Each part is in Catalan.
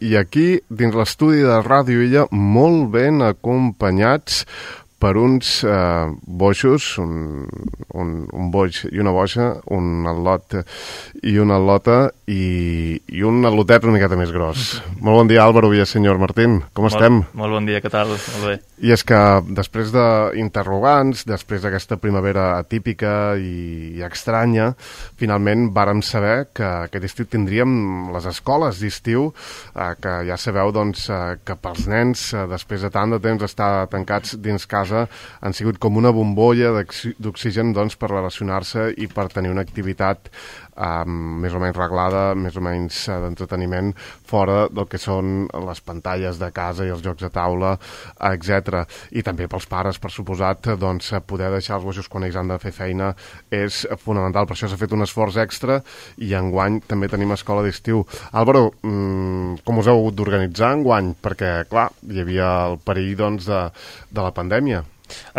i aquí, dins l'estudi de Ràdio Illa, molt ben acompanyats per uns boixos, un boix i una boixa, un al·lot i una al·lota i un al·lotet una miqueta més gros. Molt bon dia, Álvaro Villaseñor Martín. Com estem? Molt bon dia, què tal? Molt bé. I és que després d'interrogants, després d'aquesta primavera atípica i estranya, finalment vàrem saber que aquest estiu tindríem les escoles d'estiu, que ja sabeu doncs, que pels nens, després de tant de temps estar tancats dins casa, han sigut com una bombolla d'oxigen doncs, per relacionar-se i per tenir una activitat més o menys reglada, més o menys d'entreteniment, fora del que són les pantalles de casa i els jocs de taula, etc. I també pels pares, per suposat, doncs, poder deixar els boixos quan ells han de fer feina és fonamental. Per això s'ha fet un esforç extra i enguany també tenim escola d'estiu. Álvaro, com us heu hagut d'organitzar enguany? Perquè, clar, hi havia el perill doncs, de la pandèmia.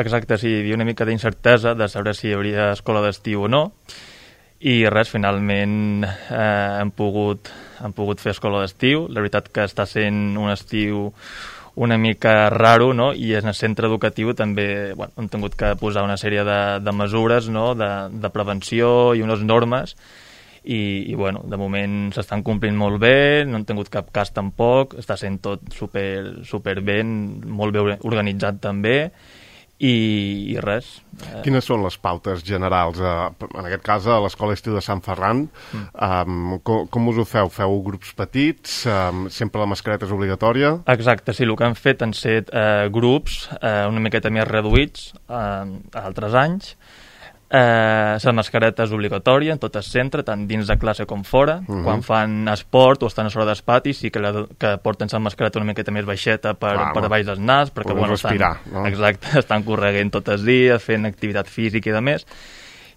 Exacte, sí, hi havia una mica d'incertesa de saber si hi hauria escola d'estiu o no, i res, finalment hem pogut fer escola d'estiu. La veritat que està sent un estiu una mica raro, no? I en el centre educatiu també hem tingut que posar una sèrie de mesures, no? de prevenció i unes normes, i de moment s'estan complint molt bé, no han tingut cap cas tampoc, està sent tot super ben, molt bé organitzat també, i res. Quines són les pautes generals? En aquest cas, a l'Escola d'Estiu de Sant Ferran, com us ho feu? Feu grups petits? Sempre la mascareta és obligatòria? Exacte, sí, el que han fet han set grups una miqueta més reduïts altres anys. La mascareta és obligatòria en tot el centre, tant dins de classe com fora. Quan fan esport o estan a sobre d'espati sí que porten la mascareta una miqueta més baixeta per baix del nas, perquè respirar, no? Exacte, estan correguent tot el dia, fent activitat física i de més.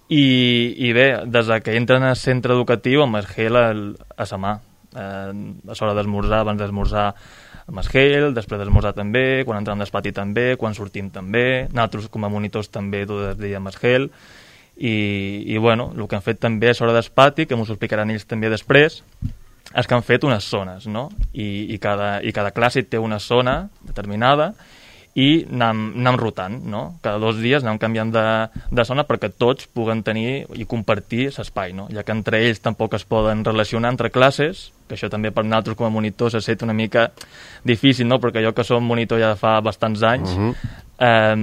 I bé, des que entren al centre educatiu amb el gel a la mà, a l'hora d'esmorzar, abans d'esmorzar amb el gel, després d'esmorzar també, quan entrem d'espati també, quan sortim també, nosaltres com a monitors també tot el dia amb el gel, i el que han fet també a l'hora d'espati, que m'ho explicaran ells també després, és que han fet unes zones, no? I cada classe té una zona determinada i anem rotant, no? Cada 2 dies anem canviant de zona perquè tots puguen tenir i compartir l'espai, no? Ja que entre ells tampoc es poden relacionar entre classes, que això també per nosaltres com a monitors ha estat una mica difícil, no? Perquè jo que som monitor ja fa bastants anys, ha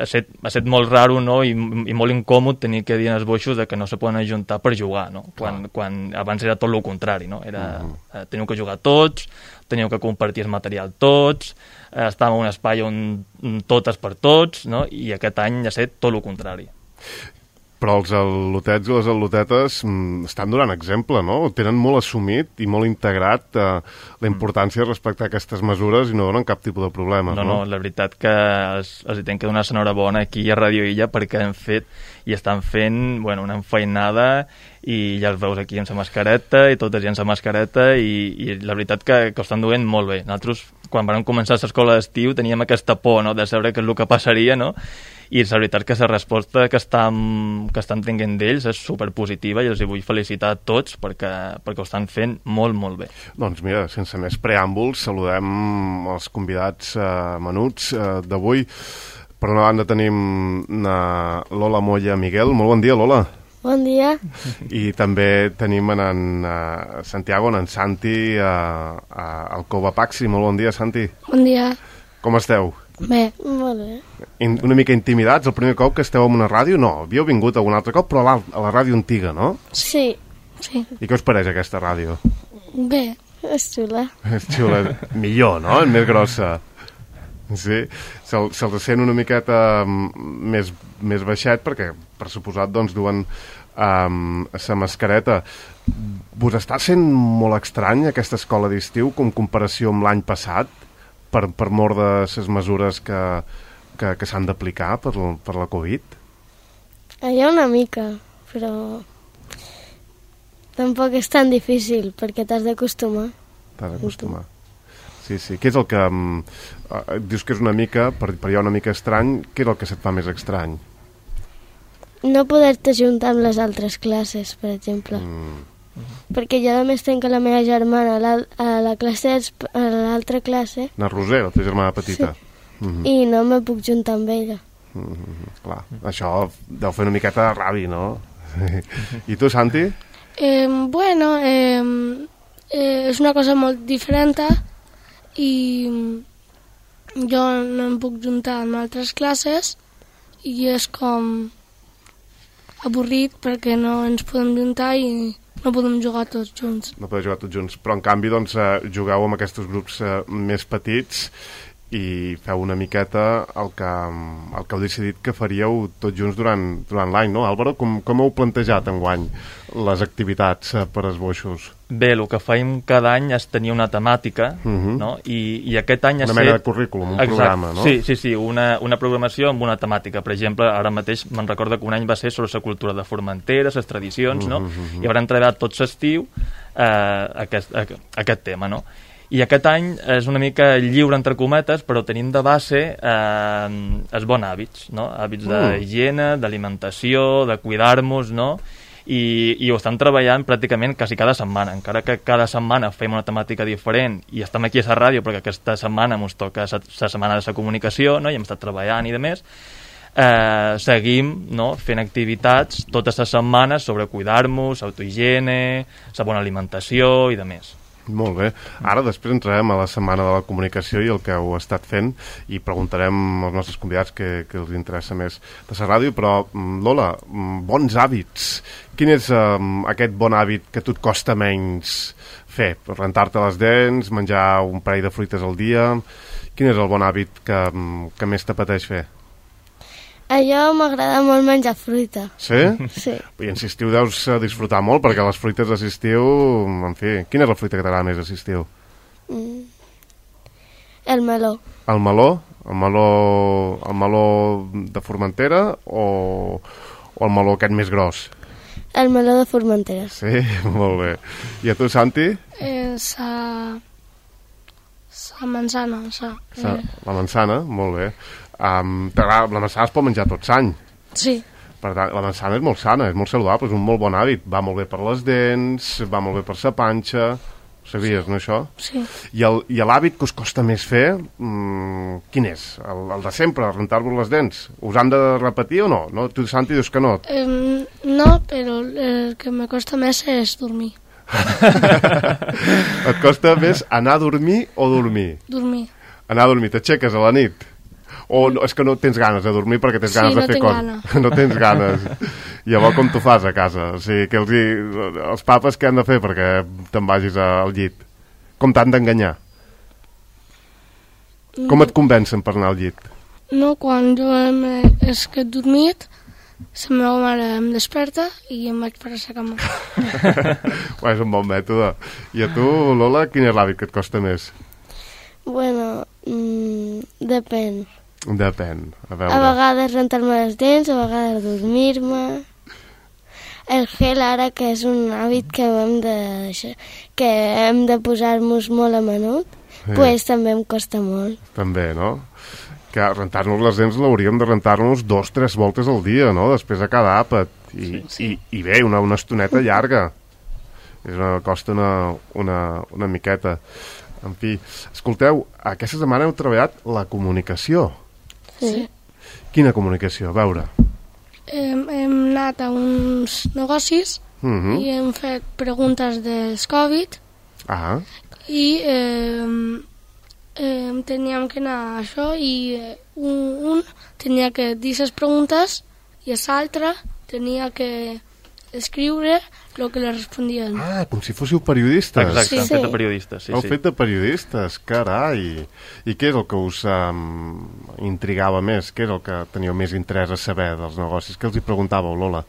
estat molt raro, no? I molt incòmode tenir que dir als boixos que no se poden ajuntar per jugar, no? Quan abans era tot el contrari, no? Teniu que jugar tots, teniu que compartir el material tots, estàvem en un espai on tot és per tots, no? I aquest any ha estat tot el contrari. Però els al·lotets i les al·lotetes estan donant exemple, no? Tenen molt assumit i molt integrat la importància de respectar aquestes mesures i no donen cap tipus de problemes, no? No, la veritat que els hi tenc que donar l'enhorabona aquí a Ràdio Illa perquè han fet i estan fent una enfeinada i ja els veus aquí amb la mascareta i totes amb la mascareta i la veritat que ho estan duent molt bé. Nosaltres, quan vam començar l'escola d'estiu, teníem aquesta por, no?, de saber què és el que passaria, no? I la veritat que la resposta que estan tenint d'ells és superpositiva i els vull felicitar a tots perquè ho estan fent molt, molt bé. Doncs mira, sense més preàmbuls, saludem els convidats menuts d'avui. Per una banda tenim Lola Moya Miguel. Molt bon dia, Lola. Bon dia. I també tenim en Santiago, en Santi, al Cova Paxi. Molt bon dia, Santi. Bon dia. Com esteu? Bé, molt bé. Una mica intimidats el primer cop que esteu en una ràdio? No, havíeu vingut algun altre cop, però a la ràdio antiga, no? Sí. I què us pareix aquesta ràdio? Bé, és xula. És xula. Millor, no? Més grossa. Sí, se'ls sent una miqueta més baixet perquè, per suposat, doncs, duen la mascareta. Vos està sent molt estrany aquesta escola d'estiu com comparació amb l'any passat per mort de les mesures que s'han d'aplicar per la Covid? Hi ha una mica, però tampoc és tan difícil perquè t'has d'acostumar. T'has d'acostumar. Sí. Què és el que... dius que és una mica, per hi ha una mica estrany, què és el que se't fa més estrany? No poder-te juntar amb les altres classes, per exemple. perquè jo a més tenc la meva germana a la classe, a l'altra classe, Na Roser, la teva germana petita. i no me puc juntar amb ella. Clar, això deu fer una miqueta de ràbia, no? I tu, Santi? Bueno, és una cosa molt diferent i jo no em puc juntar amb altres classes i és com avorrit perquè no ens podem juntar i no podem jugar tots junts. No podeu jugar tots junts, però en canvi doncs, jugueu amb aquests grups més petits i feu una miqueta el que heu decidit que faríeu tots junts durant l'any, no? Álvaro, com heu plantejat enguany les activitats per esboixos? Bé, el que fèiem cada any és tenir una temàtica, no? I aquest any una mena de currículum, un programa, no? Sí, una programació amb una temàtica. Per exemple, ara mateix me'n recordo que un any va ser sobre la cultura de Formentera, les tradicions, no? I haurem treballat tot l'estiu aquest tema, no? I aquest any és una mica lliure, entre cometes, però tenim de base els bons hàbits, no? Hàbits d'higiene, d'alimentació, de cuidar-nos, no? I ho estem treballant pràcticament quasi cada setmana, encara que cada setmana fem una temàtica diferent i estem aquí a la ràdio perquè aquesta setmana ens toca la setmana de la comunicació, no? I hem estat treballant i demés. Seguim, no? Fent activitats totes les setmanes sobre cuidar-nos, autohigiene, la bona alimentació i demés. Molt bé. Ara després entrarem a la setmana de la comunicació i el que heu estat fent i preguntarem als nostres convidats que els interessa més de la ràdio, però Lola, bons hàbits. Quin és aquest bon hàbit que a tu et costa menys fer? Rentar-te les dents, menjar un parell de fruites al dia? Quin és el bon hàbit que més t'apeteix fer? A jo m'agrada molt menjar fruita. Sí? Sí. I en l'estiu deus disfrutar molt, perquè les fruites de l'estiu, en fi, quina és la fruita que t'agrada més a l'estiu? El meló. El meló? El meló de Formentera o el meló aquest més gros? El meló de Formentera. Sí, molt bé. I a tu, Santi? La manzana. La manzana, molt bé. La manzana es pot menjar tot l'any. Sí. Per tant, la manzana és molt sana, és molt saludable, és un molt bon hàbit. Va molt bé per les dents, va molt bé per la panxa. Ho sabies, no, això? Sí. I l'hàbit que us costa més fer, quin és? El de sempre, rentar-vos les dents? Us han de repetir o no? Tu, Santi, dius que no? No, però el que me costa més és dormir. Et costa més anar a dormir o dormir? Dormir. Anar a dormir, t'aixeques a la nit? O no, és que no tens ganes de dormir perquè tens ganes de fer coses? No tens ganes. Llavors com t'ho fas a casa? O sigui, que els papes què han de fer perquè te'n vagis al llit? Com t'han d'enganyar? Com et convencen per anar al llit? No, quan jo és que he dormit, la meva mare em desperta i em vaig per a la cama. És un bon mètode. I a tu, Lola, quin és l'hàbit que et costa més? Bueno, depèn. Depèn, a veure. A vegades rentar-me les dents, a vegades dormir-me. El gel ara, que és un hàbit que hem de posar-nos molt a menut, pues també em costa molt. També, no? Que rentar-nos les dents l'hauríem de rentar-nos 2-3 voltes al dia, no? Després de cada àpat. I bé, una estoneta llarga. Costa una miqueta. En fi, escolteu, aquesta setmana heu treballat la comunicació. Sí. Quina comunicació? A veure. Hem anat a uns negocis i hem fet preguntes del Covid i teníem que anar a això i un tenia que dir les preguntes i l'altre tenia que escriure el que li respondien. Com si fóssiu periodistes. Exacte, hem fet de periodistes. Heu fet de periodistes, carai. I què és el que us intrigava més? Què és el que teníeu més interès a saber dels negocis? Què els hi preguntàveu, Lola?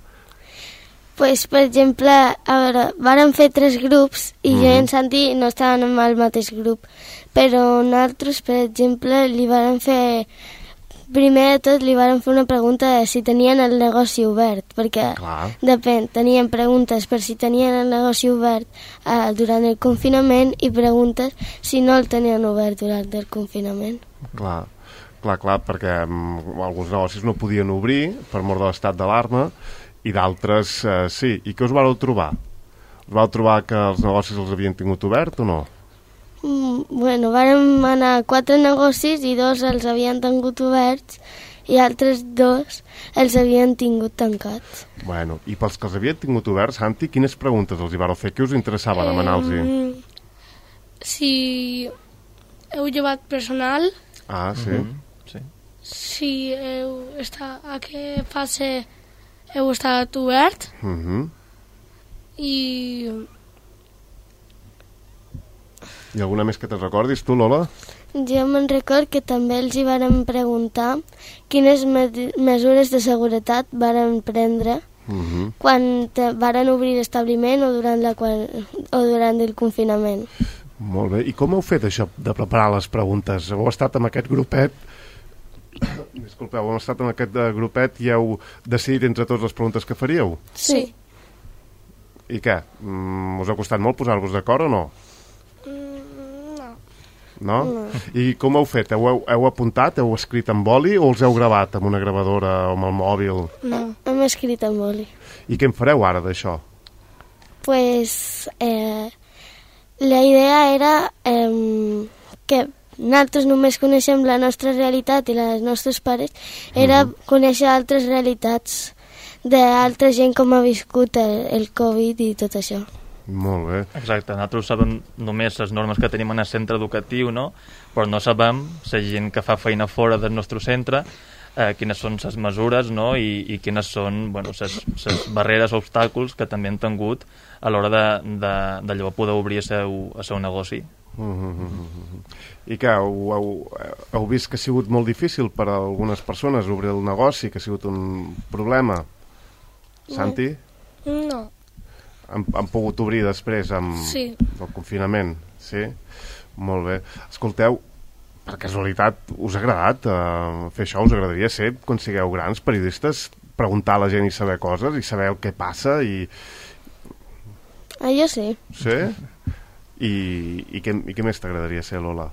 Pues, per exemple, a veure, vàrem fer 3 grups i jo i en Santi no estàvem en el mateix grup, però nosaltres, per exemple, li vàrem fer... Primer de tot li vàrem fer una pregunta de si tenien el negoci obert, perquè depèn, tenien preguntes per si tenien el negoci obert durant el confinament i preguntes si no el tenien obert durant el confinament. Clar, perquè alguns negocis no podien obrir per mort de l'estat d'alarma i d'altres sí. I què us vareu trobar? Vau trobar que els negocis els havien tingut obert o no? Bueno, vàrem anar a 4 negocis i 2 els havien tingut oberts i altres 2 els havien tingut tancats. Bueno, i pels que els havien tingut oberts, Santi, quines preguntes els hi vareu fer? Què us interessava demanar-los? Si heu llevat personal, Sí. Sí. si a què fase heu estat obert i alguna més que te'n recordis, tu, Lola? Jo me'n record que també els hi varen preguntar quines mesures de seguretat varen prendre quan varen obrir l'establiment o durant el confinament. Molt bé. I com heu fet això de preparar les preguntes? Heu estat amb aquest grupet... Disculpeu, heu estat amb aquest grupet i heu decidit entre tots les preguntes que faríeu? Sí. I què? Us ha costat molt posar-vos d'acord o no? No? I com heu fet? Heu apuntat, heu escrit amb boli o els heu gravat amb una gravadora o amb el mòbil? No, hem escrit amb boli. I què en fareu ara d'això? Pues la idea era que nosaltres només coneixem la nostra realitat i la dels nostres pares, era conèixer altres realitats d'altra gent com ha viscut el Covid i tot això. Molt bé. Exacte, nosaltres sabem només les normes que tenim en el centre educatiu, no? Però no sabem la gent que fa feina fora del nostre centre, quines són les mesures, no? I quines són les barreres o obstacles que també han tingut a l'hora de poder obrir el seu negoci. I què, heu vist que ha sigut molt difícil per a algunes persones obrir el negoci, que ha sigut un problema? Santi? no. Han pogut obrir després del confinament? Sí? Molt bé. Escolteu, per casualitat, us ha agradat fer això? Us agradaria ser, quan sigueu grans periodistes, preguntar a la gent i saber coses i saber el que passa? Jo sí. Sí? I què més t'agradaria ser, Lola?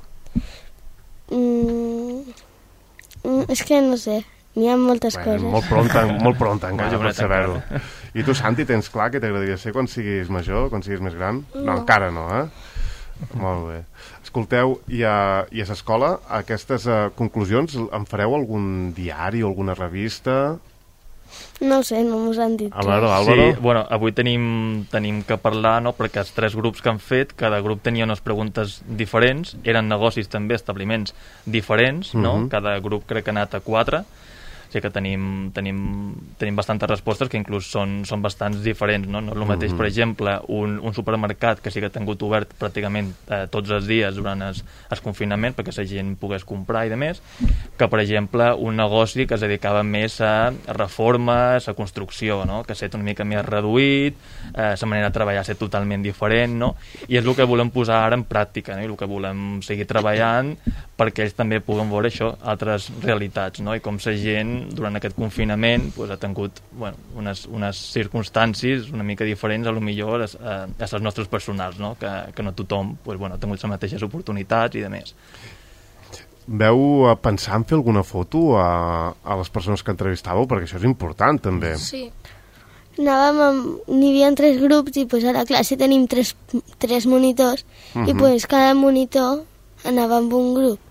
És que no sé, n'hi ha moltes coses. Molt pront encara per saber-ho. I tu, Santi, tens clar què t'agradaria ser quan siguis major, quan siguis més gran? No, encara no, Molt bé. Escolteu, i a l'escola, aquestes conclusions, en fareu algun diari o alguna revista? No ho sé, no m'ho han dit. A veure, Álvaro? Sí, bueno, avui tenim que parlar, no?, perquè els 3 grups que han fet, cada grup tenia unes preguntes diferents, eren negocis també, establiments diferents, no? Cada grup crec que ha anat a 4, o sigui que tenim bastantes respostes que inclús són bastants diferents, no? No és el mateix, per exemple, un supermercat que sí que ha tingut obert pràcticament tots els dies durant el confinament perquè la gent pogués comprar i demés, que per exemple un negoci que es dedicava més a reformes, a construcció, no? Que ha estat una mica més reduït, la manera de treballar ha estat totalment diferent, no? I és el que volem posar ara en pràctica, no? I el que volem seguir treballant perquè ells també puguen veure això, altres realitats, no? I com la gent durant aquest confinament ha tingut unes circumstàncies una mica diferents a lo millor a les nostres personals, no? Que no tothom ha tingut les mateixes oportunitats i de més. Veu pensar en fer alguna foto a les persones que entrevistàveu? Perquè això és important també. Sí. N'hi havia 3 grups i a la classe tenim 3 monitors i cada monitor anava amb un grup.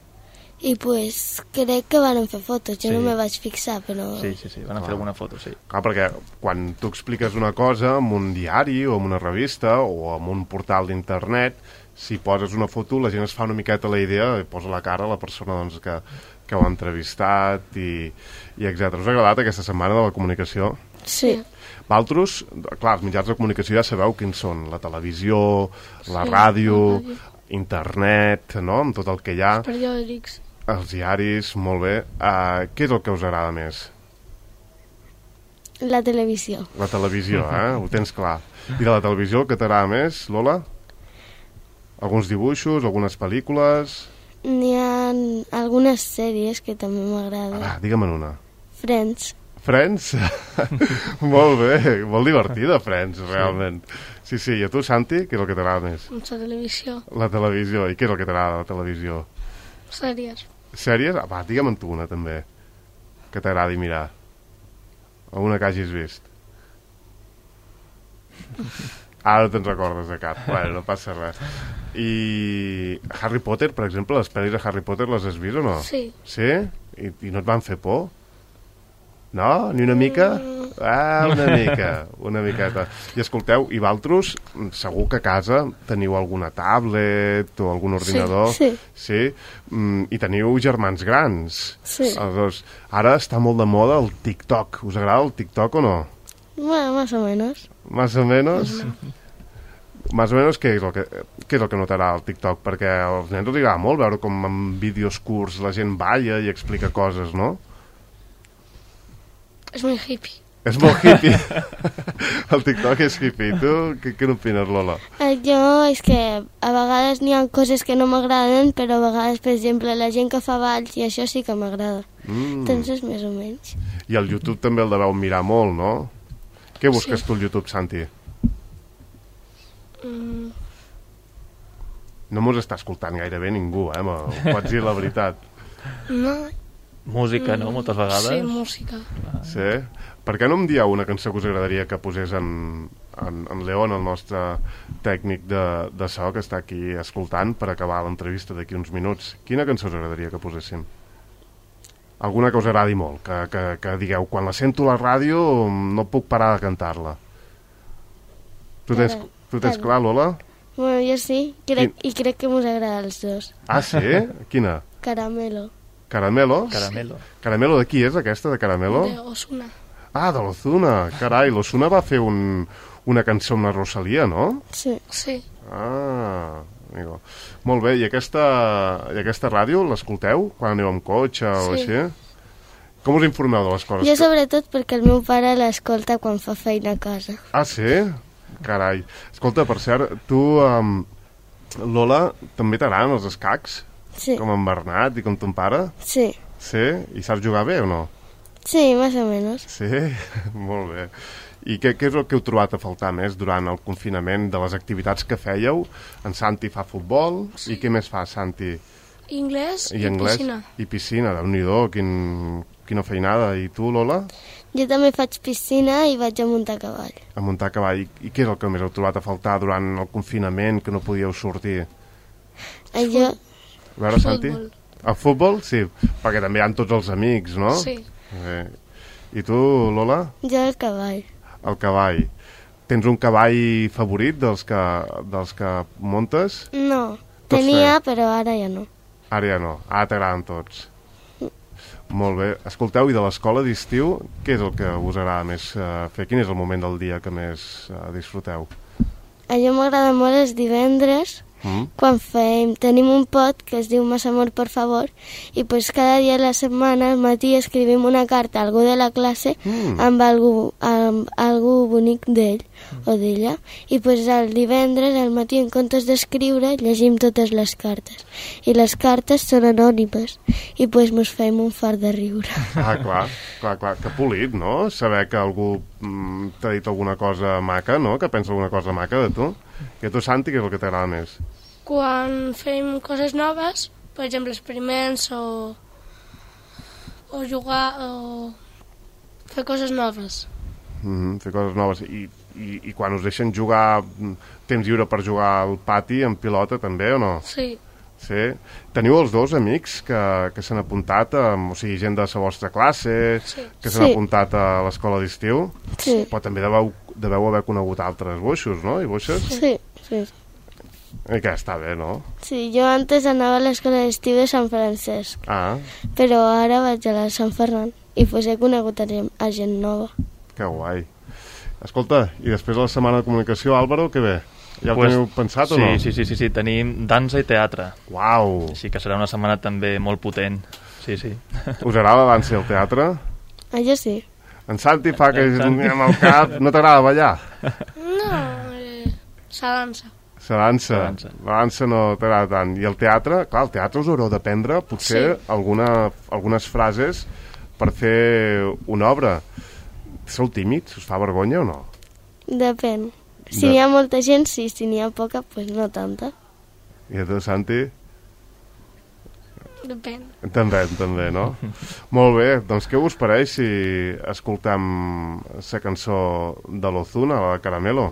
I crec que van fer fotos, jo no me vaig fixar, però... Sí, van fer alguna foto, sí. Clar, perquè quan tu expliques una cosa en un diari o en una revista o en un portal d'internet, si poses una foto la gent es fa una miqueta la idea i posa la cara a la persona que ho ha entrevistat i etc. Us ha agradat aquesta setmana de la comunicació? Sí. Vosaltres, clar, els mitjans de comunicació ja sabeu quins són, la televisió, la ràdio, internet, no?, amb tot el que hi ha. Els periòdics. Els diaris, molt bé. Què és el que us agrada més? La televisió. La televisió, ho tens clar. I de la televisió, què t'agrada més, Lola? Alguns dibuixos, algunes pel·lícules? N'hi ha algunes sèries que també m'agraden. Digue'm una. Friends. Friends? Molt bé, molt divertida, Friends, realment. Sí, i a tu, Santi, què és el que t'agrada més? La televisió. La televisió, i què és el que t'agrada de la televisió? Sèries. Sèries? Digue'm tu una, també, que t'agradi mirar. Alguna que hagis vist. Ara te'n recordes de cap. Bueno, no passa res. I Harry Potter, per exemple, les pel·lis de Harry Potter les has vist o no? Sí. Sí? I no et van fer por? No? Ni una mica? Ah, una miqueta. I escolteu, i vosaltres, segur que a casa teniu alguna tablet o algun ordinador. Sí. Sí? I teniu germans grans. Sí. Aleshores, ara està molt de moda el TikTok. Us agrada el TikTok o no? Bueno, más o menos. Más o menos? Más o menos, què és el que notarà el TikTok? Perquè als nens els agrada molt veure com en vídeos curts la gent balla i explica coses, no? És muy hippie. És molt hippie. El TikTok és hippie. Tu què n'opines, Lola? Jo és que a vegades n'hi ha coses que no m'agraden, però a vegades, per exemple, la gent que fa balls i això sí que m'agrada. Entonces, més o menys. I el YouTube també el deveu mirar molt, no? Què busques tu al YouTube, Santi? No mos està escoltant gairebé ningú, ho pots dir la veritat. No. Música, no? Moltes vegades. Sí, música. Sí? Per què no em dieu una cançó que us agradaria que posés en León, el nostre tècnic de so, que està aquí escoltant per acabar l'entrevista d'aquí uns minuts? Quina cançó us agradaria que poséssim? Alguna que us agradi molt, que digueu, quan la sento a la ràdio no puc parar de cantar-la. Tu tens clar, Lola? Bueno, jo sí, i crec que mos agrada als dos. Ah, sí? Quina? Caramelo. Caramelo? Caramelo. Caramelo de qui és aquesta, de Caramelo? De Ozuna. Ah, de l'Ozuna. Carai, l'Ozuna va fer una cançó amb la Rosalia, no? Sí. Sí. Ah, amigo. Molt bé, i aquesta ràdio l'escolteu quan aneu amb cotxe o Sí. així? Com us informeu de les coses? Jo sobretot perquè el meu pare l'escolta quan fa feina a casa. Ah, sí? Carai. Escolta, per cert, tu, Lola, també t'agraden els escacs? Sí. Com en Bernat i com ton pare? Sí. Sí? I saps jugar bé o no? Sí, más o menos. Sí? Molt bé. I què és el que heu trobat a faltar més durant el confinament de les activitats que fèieu? En Santi fa futbol, sí. I què més fa, Santi? Anglès i anglès, piscina. I piscina, Déu-n'hi-do, quina feinada. I tu, Lola? Jo també faig piscina i vaig a muntar a cavall. A muntar a cavall. I què és el que més heu trobat a faltar durant el confinament, que no podíeu sortir? Jo... A veure, Santi? Futbol. El futbol? Sí, perquè també hi ha tots els amics, no? Sí. I tu, Lola? Jo el cavall. El cavall. Tens un cavall favorit dels que muntes? No, Tots tenia, però ara ja no. Ara ja no. Ara t'agraden tots. Molt bé. Escolteu, i de l'escola d'estiu, què és el que us agrada més fer? Quin és el moment del dia que més disfruteu? A jo m'agrada molt els divendres, quan tenim un pot que es diu Más amor, por favor, i pues cada dia de la setmana al matí escrivim una carta a algú de la classe amb algú bonic d'ell o d'ella, i pues el divendres al matí, en comptes d'escriure, llegim totes les cartes, i les cartes són anònimes, i pues mos fem un fart de riure. Ah, clar, que polit, no? Saber que algú t'ha dit alguna cosa maca, no? Que pensa alguna cosa maca de tu. I a tu, Santi, què és el que t'agrada més? Quan fem coses noves, per exemple, experiments o jugar o fer coses noves. Fer coses noves. I quan us deixen jugar, temps lliure per jugar al pati, en pilota, també, o no? Sí. Sí? Teniu els dos amics que s'han apuntat, o sigui, gent de la vostra classe, que s'han apuntat a l'escola d'estiu? Sí. Però també deveu haver conegut altres boixos, no? I boixes? Sí. I que està bé, no? Sí, jo antes anava a l'escola d'estiu de Sant Francesc, però ara vaig a la de Sant Ferran, i pues he conegut a gent nova. Que guai. Escolta, i després de la setmana de comunicació, Álvaro, què ve? Ja ho teniu pensat o no? Sí, tenim dansa i teatre. Uau! Així que serà una setmana també molt potent. Sí. Us agrada la dansa i el teatre? Ah, jo sí. En Santi fa que amb el cap... No t'agrada ballar? No, la dansa. La dansa no t'agrada tant. I el teatre? Clar, el teatre us haureu d'aprendre potser algunes frases per fer una obra. Sou tímids? Us fa vergonya o no? Depèn. Si n'hi ha molta gent, sí. Si n'hi ha poca, pues no tanta. I a tu, Santi? Depèn. També, no? Molt bé, doncs què us pareix si escoltam la cançó de l'Ozuna, la de Caramelo?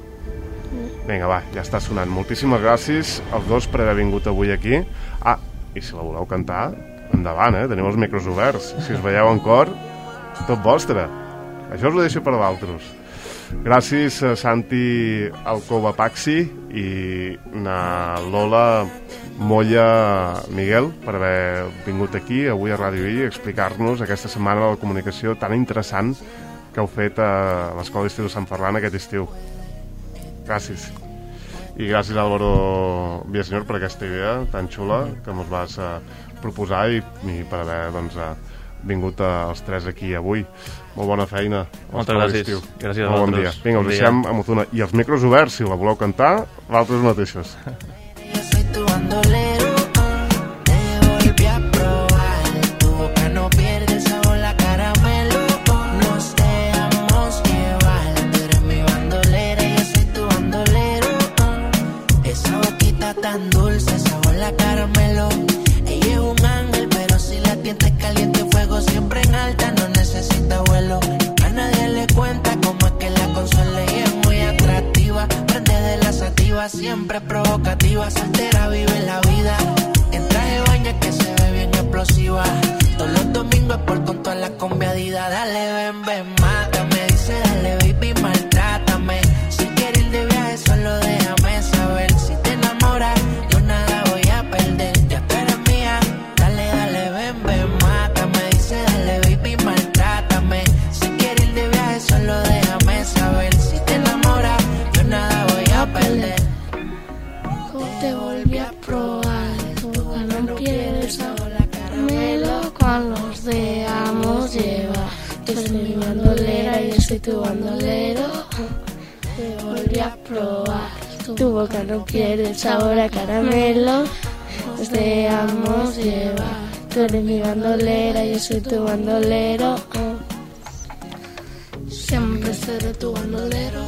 Vinga, va, ja està sonant. Moltíssimes gràcies als dos per haver vingut avui aquí. Ah, i si la voleu cantar, endavant, teniu els micros oberts. Si us veieu en cor, tot vostre. Això us ho deixo per d'altres. Gràcies a Santi Alcoba Paxi i a Lola Molla Miguel per haver vingut aquí avui a Ràdio I a explicar-nos aquesta setmana de la comunicació tan interessant que heu fet a l'Escola d'Estiu de Sant Ferran aquest estiu. Gràcies. I gràcies Álvaro Villaseñor per aquesta idea tan xula que ens vas proposar i per haver vingut els tres aquí avui. Molt bona feina. Moltes gràcies. Gràcies a vosaltres. Bon dia. Vinga, us deixem amb Ozuna. I els micros oberts, si la voleu cantar, vosaltres mateixos. Yo soy tu bandolero, te volví a probar. Tu boca no pierde el sabor a caramelo. Nos dejamos llevar. Tú eres mi bandolera, yo soy tu bandolero. Esa boquita tan dulce, sabor a caramelo. Ella es un ángel, pero si la tientes caliente, fuego siempre en alta, no necesita vuelo. A nadie le cuenta cómo es que la consuela y es muy atractiva. Prende de la sativa, siempre provocativa, soltera vive la vida. En traje de baño que se ve bien explosiva. Todos los domingos por con toda la conviadida. Dale, ven, ven, mátame. Dice, dale, baby, maltrátame. Si quieres ir de viaje, solo déjame saber. Si te enamoras, yo nada voy a perder. Ya tú eres mía. Dale, dale, ven, ven, mátame. Dice, dale, baby, maltrátame. Si quieres ir de viaje, solo déjame saber. Si te enamoras, yo nada voy a perder. Te volví a probar, tu boca no pierde el sabor a caramelo cuando nos dejamos llevar. Tú eres mi bandolera y yo soy tu bandolero. Te volví a probar, tu boca no pierde el sabor a caramelo. Nos dejamos llevar. Tú eres mi bandolera y yo soy tu bandolero. Siempre seré tu bandolero.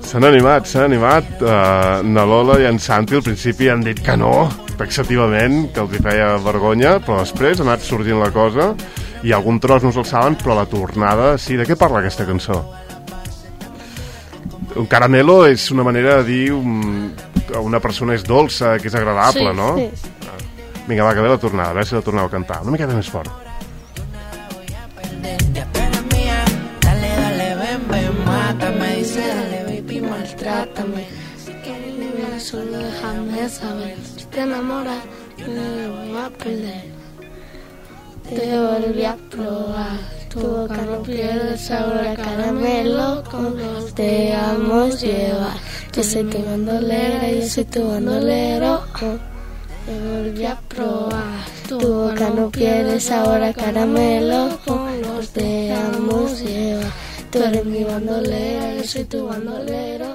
S'han animat. Na Lola i en Santi al principi han dit que no, taxativament, que els hi feia vergonya, però després ha anat sorgint la cosa i algun tros no se'l saben, però la tornada sí. De què parla aquesta cançó? Un caramelo és una manera de dir que una persona és dolça, que és agradable, sí, no? Sí. Vinga, va, que ve la tornada, a veure si la torneu a cantar una miqueta més fort. Mátame, dice, dale, baby, Maltrátame. Si quieres liberar, solo déjame saber. Si te enamoras, yo no lo voy a perder. Te volví a probar. Tu boca no pierde el sabor a caramelo. Con los te dejamos llevar. Yo soy tu bandolera, yo soy tu bandolero. Te volví a probar. Tu boca no pierde el sabor a caramelo. Con los te dejamos llevar. Tú eres mi bandolera, yo soy tu bandolero.